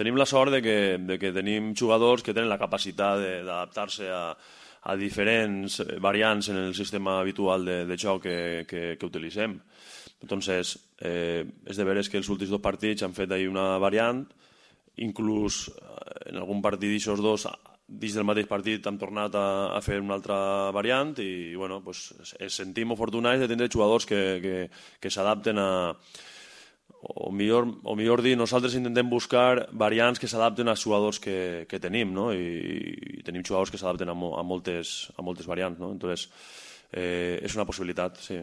Tenim la sort de que tenim jugadors que tenen la capacitat d'adaptar-se a diferents variants en el sistema habitual de joc que utilitzem. Entonces, és de veres que els últims dos partits han fet ahí una variant, inclús en algun partit d'aixòs dos, dins del mateix partit hem tornat a fer una altra variant i bueno, pues, ens sentim afortunats de tenir jugadors que s'adapten a... O millor dir, nosaltres intentem buscar variants que s'adapten als jugadors que tenim, no? I tenim jugadors que s'adapten a moltes variants, no? Entonces, és una possibilitat, sí.